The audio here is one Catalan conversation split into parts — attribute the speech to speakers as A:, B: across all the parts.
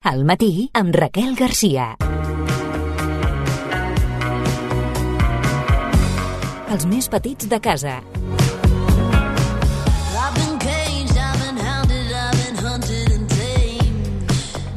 A: Al matí amb Raquel Garcia. Els més petits de casa.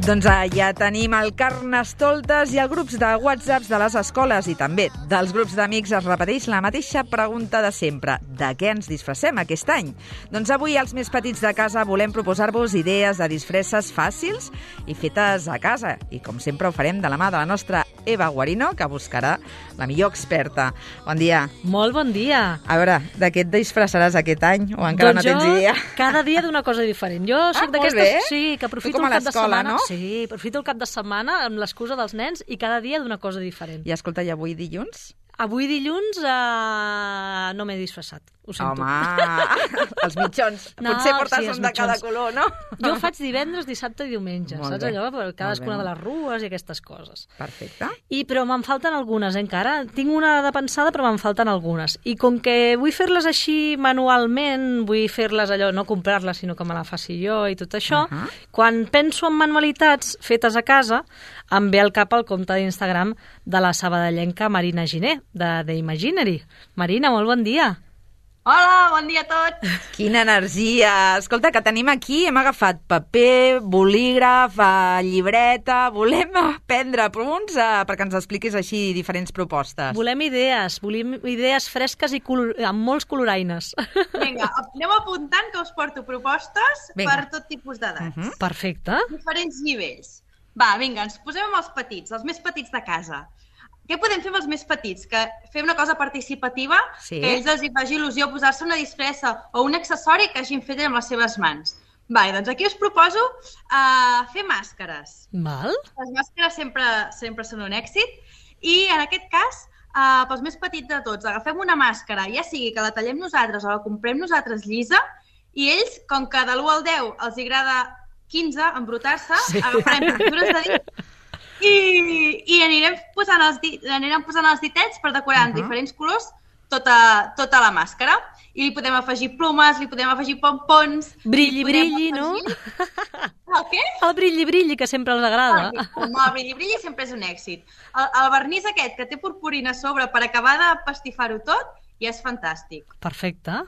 B: Doncs ja tenim el Carnestoltes i els grups de WhatsApps de les escoles i també dels grups d'amics es repeteix la mateixa pregunta de sempre. De què ens disfressem aquest any? Doncs avui els més petits de casa volem proposar-vos idees de disfresses fàcils i fetes a casa. I com sempre ho farem de la mà de la nostra Eva Guarino, que buscarà la millor experta. Bon dia.
C: Molt bon dia.
B: A veure, de què et disfressaràs aquest any o encara no tens idea?
C: Cada dia d'una cosa diferent. Jo soc d'aquestes, sí, que aprofito el cap de setmana.
B: No?
C: Sí, aprofito el cap de setmana amb l'excusa dels nens i cada dia d'una cosa diferent.
B: I escolta, i avui dilluns?
C: Avui dilluns no m'he disfressat, ho sento.
B: Home, els mitjons. Potser portes un de cada color, no?
C: Jo ho faig divendres, dissabte i diumenge,
B: molt
C: saps
B: bé.
C: allò? Per cadascuna de les rues i aquestes coses.
B: Perfecte.
C: Però me'n falten algunes, encara. Tinc una de pensada, però me'n falten algunes. I com que vull fer-les així manualment, vull fer-les allò, no comprar-les, sinó que me la faci jo i tot això, quan penso en manualitats fetes a casa, em ve al cap el compte d'Instagram de la sabadellenca Marina Giner, de The Imaginary. Marina, molt bon dia.
D: Hola, bon dia a tots.
B: Quina energia. Escolta, que tenim aquí, hem agafat paper, bolígraf, llibreta, volem aprendre punts perquè ens expliquis així diferents propostes.
C: Volem idees fresques i amb molts coloraines.
D: Vinga, aneu apuntant que us porto propostes per tot tipus d'edats.
C: Perfecte.
D: Diferents nivells. Va, vinga, ens posem amb els petits, els més petits de casa. Què podem fer amb els més petits? Que fem una cosa participativa, que a ells els hi faci il·lusió posar-se una disfressa o un accessori que hagin fet amb les seves mans. Va, doncs aquí us proposo fer màscares.
C: Val.
D: Les màscares sempre són un èxit i en aquest cas, pels més petits de tots, agafem una màscara, ja sigui que la tallem nosaltres o la comprem nosaltres llisa, i ells, com que de l'1 al 10 els agrada 15, embrutar-se, agafarem pintures de dit i anirem posant els ditets per decorar en diferents colors tota la màscara. I li podem afegir plomes, li podem afegir pompons...
C: Brilli, no?
D: El què?
C: El brilli, que sempre els agrada.
D: Home, el brilli sempre és un èxit. El vernís aquest, que té purpurina a sobre per acabar de pastifar-ho tot, ja és fantàstic.
C: Perfecte.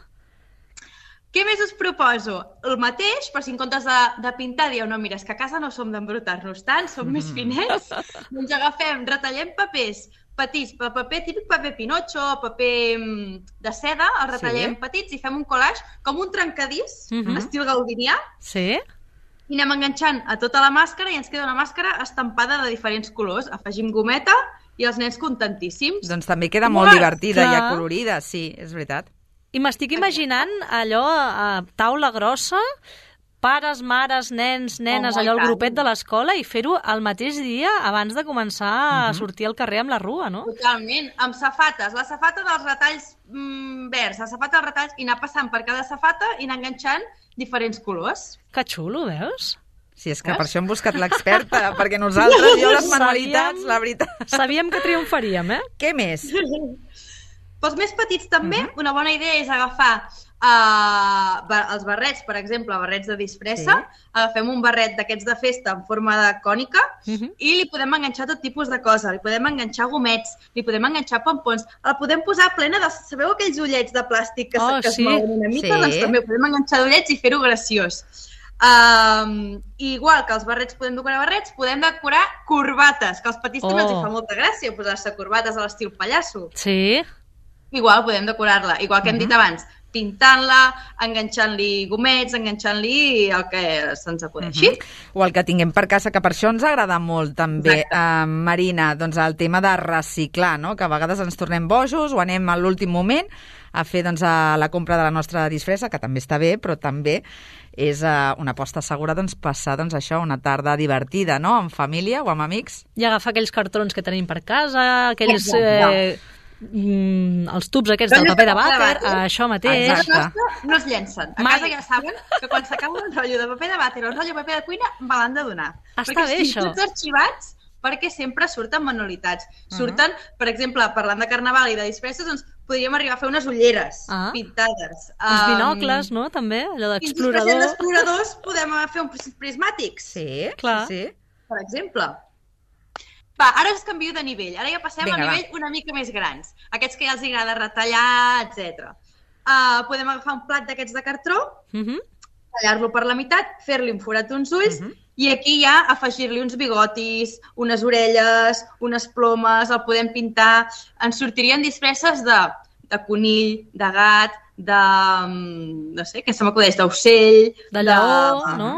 D: Què més us proposo? El mateix, però si en comptes de pintar dieu, no, mira, és que a casa no som d'embrutar-nos tant, som més finets, doncs retallem papers petits, típic paper pinotxo, paper de seda, el retallem petits i fem un collage com un trencadís, estil gaudinià, i anem enganxant a tota la màscara i ens queda una màscara estampada de diferents colors. Afegim gometa i els nens contentíssims.
B: Doncs també queda molt divertida i acolorida, sí, és veritat.
C: I m'estic imaginant allò a taula grossa, pares, mares, nens, nenes, allò el grupet de l'escola i fer-ho el mateix dia abans de començar a sortir al carrer amb la rua, no?
D: Totalment, amb safates. La safata dels retalls verds, la safata dels retalls, i anar passant per cada safata i anar enganxant diferents colors.
C: Que xulo, veus?
B: Sí, és que per això hem buscat l'experta, perquè nosaltres, jo les manualitats, la veritat...
C: Sabíem que triomfaríem,
B: Què més?
D: Pels més petits també, una bona idea és agafar els barrets, per exemple, barrets de disfressa. Agafem un barret d'aquests de festa en forma de cònica i li podem enganxar tot tipus de cosa. Li podem enganxar gomets, li podem enganxar pompons, el podem posar plena de... Sabeu aquells ullets de plàstic que es mouen una mica? Doncs també podem enganxar d'ullets i fer-ho graciós. Igual que els barrets podem decorar barrets, podem decorar corbates, que als petits també els fa molta gràcia posar-se corbates a l'estil pallasso.
C: Sí.
D: Igual podem decorar-la, igual que hem dit abans, pintant-la, enganxant-li gomets, enganxant-li el que se'ns acudeixi.
B: O el que tinguem per casa, que per això ens agrada molt també, Marina, doncs el tema de reciclar, no? Que a vegades ens tornem bojos o anem a l'últim moment a fer la compra de la nostra disfressa, que també està bé, però també és una aposta segura passar això una tarda divertida, no? En família o amb amics.
C: I agafar aquells cartrons que tenim per casa, aquells... els tubs aquests del paper de vàter, això mateix.
D: No es llencen. A casa ja saben que quan s'acaba un rotllo de paper de vàter o un rotllo de paper de cuina me l'han de donar.
C: Està bé, això.
D: Tots arxivats, perquè sempre surten manualitats. Surten, per exemple, parlant de carnaval i de disfresses, doncs podríem arribar a fer unes ulleres pintades.
C: Uns binocles, no?, també, allò d'explorador.
D: Fins i tot d'exploradors podem fer uns prismàtics.
B: Sí,
C: clar.
B: Sí.
D: per exemple. Va, ara us canvio de nivell. Ara ja passem a nivell una mica més grans. Aquests que ja els agrada retallar, etc. Podem agafar un plat d'aquests de cartró, tallar-lo per la meitat, fer-li un forat d'uns ulls i aquí ja afegir-li uns bigotis, unes orelles, unes plomes, el podem pintar. Ens sortirien disfresses de conill, de gat, de... no sé, què se m'acudeix, d'ocell...
C: De lleó, no?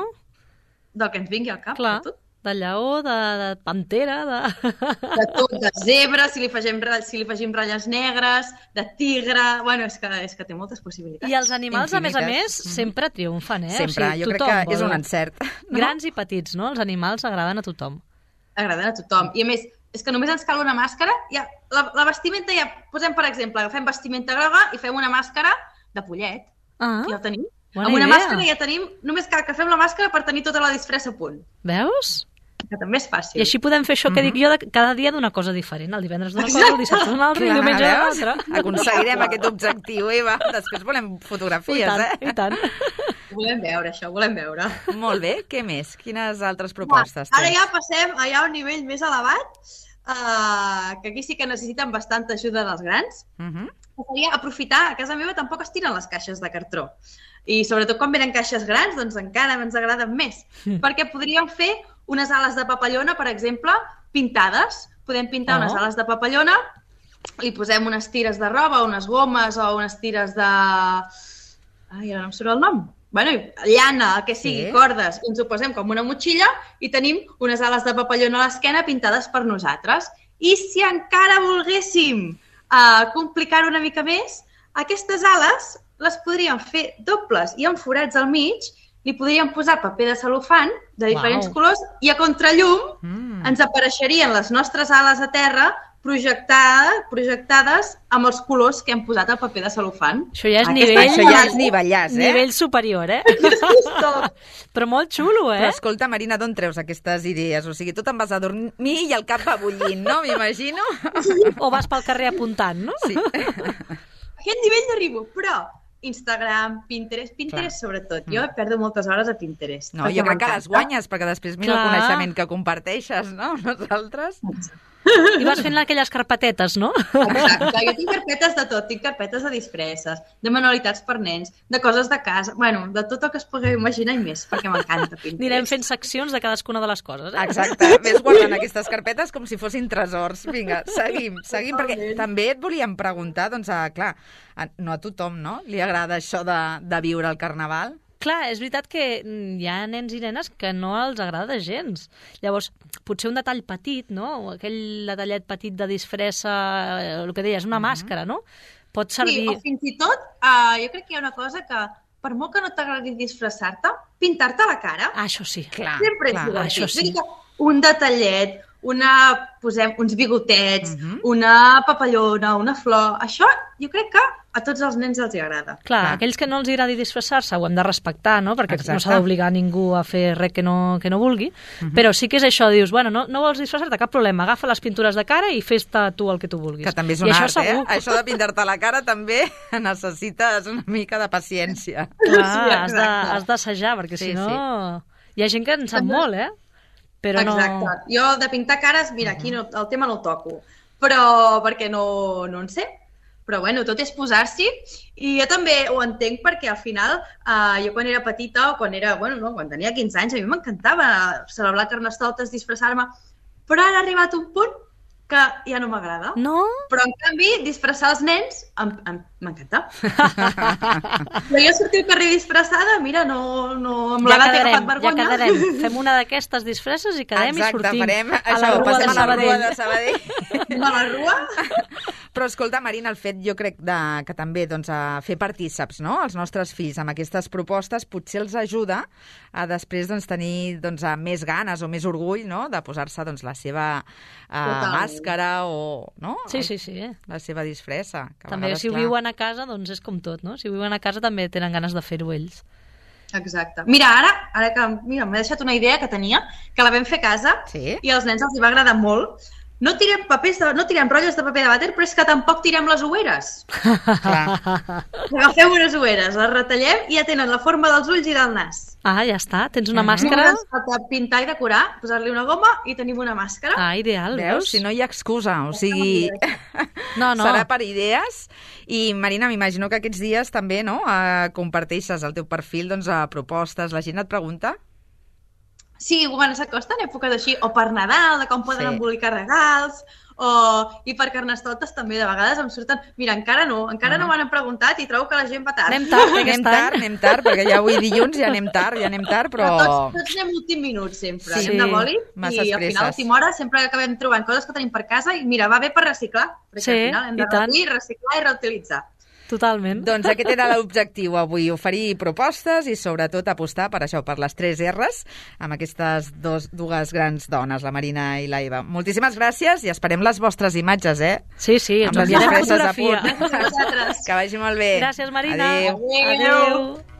D: Del que ens vingui al cap,
C: clar, de tot. De lleó, de pantera,
D: de tot, de zebra, si li afegim ratlles negres, de tigre... Bueno, és que té moltes possibilitats.
C: I els animals, infinites. A més, sempre triomfen, eh?
B: Sempre, jo crec que és un encert.
C: Grans i petits, no? Els animals agraden a tothom.
D: Agraden a tothom. I a més, és que només ens cal una màscara. La vestimenta ja... Posem, per exemple, agafem vestimenta groga i fem una màscara de pollet. Ja el tenim. Amb una màscara ja tenim... Només cal que fem la màscara per tenir tota la disfressa a punt.
C: Veus?
D: Que també és fàcil.
C: I així podem fer això que dic jo, cada dia d'una cosa diferent. El divendres d'una cosa, el dissabte d'una altra i el diumenge d'una altra.
B: Aconseguirem aquest objectiu, Eva. Després volem fotografies,
C: I tant.
D: Ho volem veure, això, ho volem veure.
B: Molt bé, què més? Quines altres propostes tens?
D: Ara ja passem a un nivell més elevat, que aquí sí que necessiten bastanta ajuda dels grans. Seria aprofitar, a casa meva tampoc es tiren les caixes de cartró. I sobretot quan venen caixes grans, doncs encara ens agraden més. Perquè podríem fer unes ales de papallona, per exemple, pintades. Podem pintar unes ales de papallona, li posem unes tires de roba, unes gomes o unes tires de... Ai, ara no em surt el nom. Bueno, llana, el que sigui, cordes. Ens ho posem com una motxilla i tenim unes ales de papallona a l'esquena pintades per nosaltres. I si encara volguéssim complicar-ho una mica més, aquestes ales les podríem fer dobles i amb forats al mig, li podríem posar paper de cel·lofan de diferents colors i a contrallum ens apareixerien les nostres ales a terra projectades amb els colors que hem posat al paper de cel·lofan.
C: Això ja és
B: nivellàs,
C: nivell superior, Però molt xulo,
B: Però escolta, Marina, d'on treus aquestes idees? O sigui, tu te'n vas a dormir i el cap va bullint, no? M'imagino.
C: O vas pel carrer apuntant, no?
B: Sí.
D: A aquest nivell n'arribo, però Instagram, Pinterest sobretot. Jo perdo moltes hores a Pinterest.
B: No, jo crec que les guanyes, perquè després mira el coneixement que comparteixes, no? Nosaltres.
C: I vas fent aquelles carpetetes, no?
D: Exacte, jo tinc carpetes de tot, tinc carpetes de disfresses, de manualitats per nens, de coses de casa, bueno, de tot el que es pugui imaginar i més, perquè m'encanta Pinterest.
C: Anirem fent seccions de cadascuna de les coses,
B: Exacte, ves guardant aquestes carpetes com si fossin tresors. Vinga, seguim, perquè també et volíem preguntar, doncs, clar, no a tothom, no? Li agrada això de viure el Carnaval?
C: Clar, és veritat que hi ha nens i nenes que no els agrada gens. Llavors, potser un detall petit, no? Aquell detallet petit de disfressa, el que deies, una màscara, no? Pot servir...
D: Sí, o fins i tot, jo crec que hi ha una cosa que, per molt que no t'agradi disfressar-te, pintar-te la cara...
C: Això sí, clar.
D: Sempre és divertit. Això sí. Un detallet, posem uns bigotets, una papallona, una flor... Això jo crec que a tots els nens els agrada.
C: Clar, aquells que no els agradi disfressar-se ho hem de respectar, no? Perquè no s'ha d'obligar ningú a fer res que no vulgui. Però sí que és això, dius, bueno, no vols disfressar-te, cap problema, agafa les pintures de cara i fes-te tu el que tu vulguis.
B: Que també és un art, Això de pintar-te la cara també necessites una mica de paciència.
C: Clar, has d'assajar, perquè si no... Hi ha gent que en sap molt, Però
D: exacte. Jo de pintar cares, mira, aquí el tema no el toco, però perquè no en sé. Però bueno, tot és posar-s'hi i jo també ho entenc perquè al final jo quan era petita o quan tenia 15 anys a mi m'encantava celebrar Carnestoltes, disfressar-me, però ara ha arribat un punt que ja no m'agrada.
C: No?
D: Però en canvi disfressar els nens m'encanta. Però jo sortir al carrer disfressada, mira, no amb l'edat he agafat vergonya.
C: Ja quedarem, fem una d'aquestes disfresses i quedem i sortim.
B: Exacte, farem això, passem a la Rua de Sabadell.
D: A la Rua?
B: Però escolta, Marina, el fet jo crec que també fer partíceps, no?, els nostres fills amb aquestes propostes potser els ajuda a després tenir més ganes o més orgull, no?, de posar-se la seva màscara o
C: Sí.
B: la seva disfressa.
C: També si ho viuen a casa, doncs és com tot, no? Si ho viuen a casa també tenen ganes de fer-ho ells.
D: Exacte. Mira, ara que m'ha deixat una idea que tenia, que la vam fer a casa i als nens els hi va agradar molt. no tirem rotllos de paper de vàter, però és que tampoc tirem les oueres. Agafeu unes oueres, les retallem i ja tenen la forma dels ulls i del nas.
C: Ah, ja està, tens una màscara.
D: Pintar i decorar, posar-li una goma i tenim una màscara.
C: Ah, ideal,
B: veus? Si no hi ha excusa, o sigui...
C: No.
B: Serà per idees. I, Marina, m'imagino que aquests dies també, no?, comparteixes al teu perfil propostes. La gent et pregunta?
D: Sí, quan s'acosten èpoques així, o per Nadal, de com poden embolicar regals, i per Carnestoltes també, de vegades em surten... Mira, encara no m'han preguntat i trobo que la gent va tard.
B: Anem tard, perquè ja avui dilluns ja anem tard, però...
D: Tots anem últim minut, sempre.
B: Sí,
D: anem de boli i al final, a última hora, sempre acabem trobant coses que tenim per casa i mira, va bé per reciclar, perquè al final hem de reduir, reciclar i reutilitzar.
C: Totalment.
B: Doncs aquest era l'objectiu avui, oferir propostes i sobretot apostar per això, per les 3 R's, amb aquestes dues grans dones, la Marina i la Eva. Moltíssimes gràcies i esperem les vostres imatges,
C: Sí, ens enviarem fotografia.
B: Que vagi molt bé.
C: Gràcies, Marina.
B: Adéu.
C: Adéu.